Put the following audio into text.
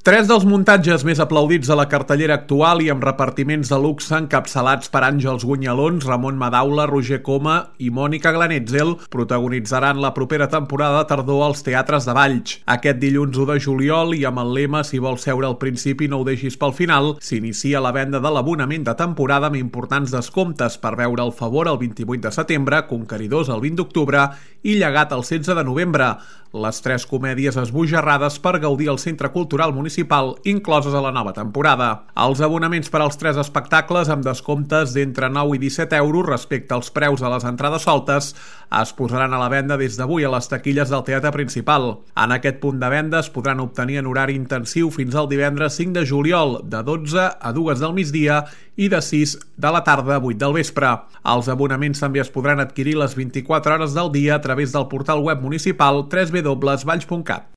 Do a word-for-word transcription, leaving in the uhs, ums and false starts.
Tres dels muntatges més aplaudits de la cartellera actual i amb repartiments de luxe encapçalats per Àngels Gunyalons, Ramon Madaula, Roger Coma i Mònica Glanetzel protagonitzaran la propera temporada de tardor als teatres de Valls. Aquest dilluns u de juliol i amb el lema "Si vols seure al principi no ho deixis pel final", s'inicia la venda de l'abonament de temporada amb importants descomptes per veure El favor el vint-i-vuit de setembre, Conqueridors el vint d'octubre i Llegat el setze de novembre. Les tres comèdies esbojarrades per gaudir al Centre Cultural Municipal, incloses a la nova temporada. Els abonaments per als tres espectacles amb descomptes d'entre nou i disset euros respecte als preus de les entrades soltes es posaran a la venda des d'avui a les taquilles del teatre principal. En aquest punt de venda es podran obtenir en horari intensiu fins al divendres cinc de juliol, de dotze a dues del migdia i de sis de la tarda a vuit del vespre. Els abonaments també es podran adquirir les vint-i-quatre hores del dia a través del portal web municipal w w w punt valls punt cat.